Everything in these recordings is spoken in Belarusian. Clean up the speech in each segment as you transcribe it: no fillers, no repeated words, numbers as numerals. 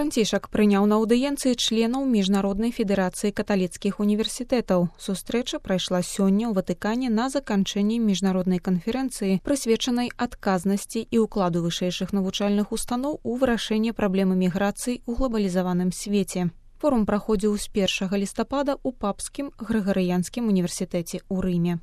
Францішак прыняў на аўдыенцыі членаў Міжнароднай федэрацыі каталіцкіх універсітэтаў. Сустрэча прайшла сёння ў Ватыкане на заканчэнні міжнароднай канферэнцыі, прысвечанай адказнасці і ўкладу вышэйшых навучальных устаноў у вырашэнне праблемы міграцыі ў глобалізаваным свеце. Форум праходзіў з 1 лістапада ў Папскім Грыгарыянскім універсітэце ў Рыме.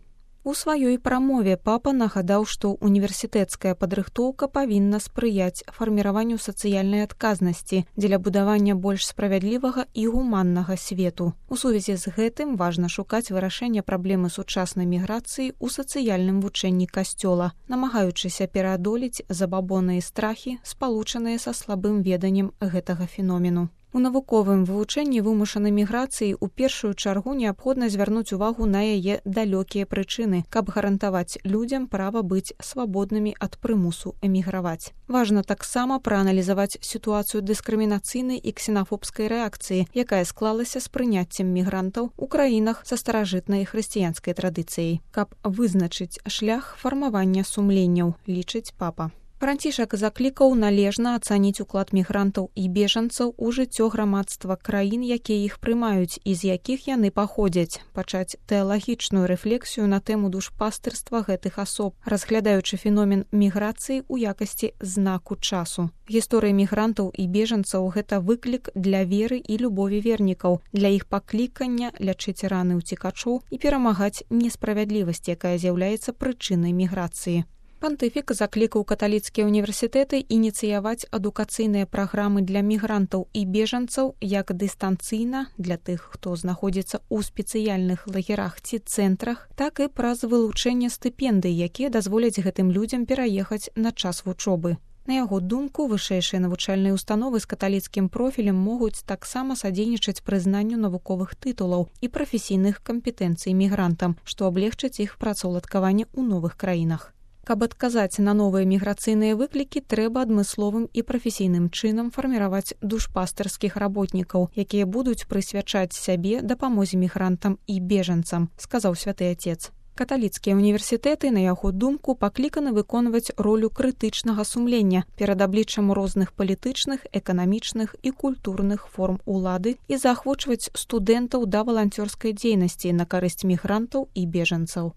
У сваёй прамове папа нагадаў, што універсітэцкая падрыхтоўка павінна спрыяць фарміраванню сацыяльнай адказнасці дзеля будавання больш справядлівага і гуманнага свету. У сувязі з гэтым важна шукаць вырашэнне праблемы сучаснай міграцыі ў сацыяльным вучэнні касцёла, намагаючыся пераадолець забабоны і страхі, спалучаныя са слабым веданнем гэтага феномену. У навуковым вывучэнні вымушанай міграцыі ў першую чаргу неабходна звярнуць увагу на яе далёкія прычыны, каб гарантаваць людзям права быць свабоднымі ад прымусу эміграваць. Важна таксама прааналізаваць сітуацыю дыскрымінацыйнай і ксенафобскай рэакцыі, якая склалася з прыняццем мігрантаў у краінах са старажытнай хрысціянскай традыцыяй, каб вызначыць шлях фармавання сумленняў, лічыць папа. Францішак заклікаў належна ацаніць уклад мігрантаў і бежанцаў у жыццё грамадства краін, якія іх прымаюць і з якіх яны паходзяць, пачаць тэалагічную рэфлексію на тэму душпастырства гэтых асоб, разглядаючы феномен міграцыі ў якасці знаку часу. Гісторыя мігрантаў і бежанцаў – гэта выклік для веры і любові вернікаў, для іх паклікання лячыць раны ўцекачоў і перамагаць несправядлівасць, якая з'яўляецца прычынай міграцыі. Пантыфік заклікаў каталіцкія універсітэты ініцыяваць адукацыйныя праграмы для мігрантаў і бежанцаў як дыстанцыйна для тых, хто знаходзіцца ў спецыяльных лагерах ці цэнтрах, так і праз вылучэнне стыпендый, якія дазволяць гэтым людзям пераехаць на час вучобы. На яго думку, вышэйшыя навучальныя установы з каталіцкім профілем могуць таксама садзейнічаць прызнанню навуковых тытулаў і прафесійных кампетэнцый мігрантам, што аблегчыць іх працаўладкаванне ў новых краінах. Каб адказаць на новыя міграцыйныя выклікі, трэба адмысловым і прафесійным чынам фарміраваць душпастырскіх работнікаў, якія будуць прысвячаць сябе дапамозе мігрантам і бежанцам, сказаў святы Отец. Каталіцкія універсітэты, на яго думку, пакліканы выконваць ролю крытычнага сумлення перад абліччам розных палітычных, эканамічных і культурных форм улады і заахвочваць студэнтаў да валанцёрскай дзейнасці на карысць мігрантаў і бежанцаў.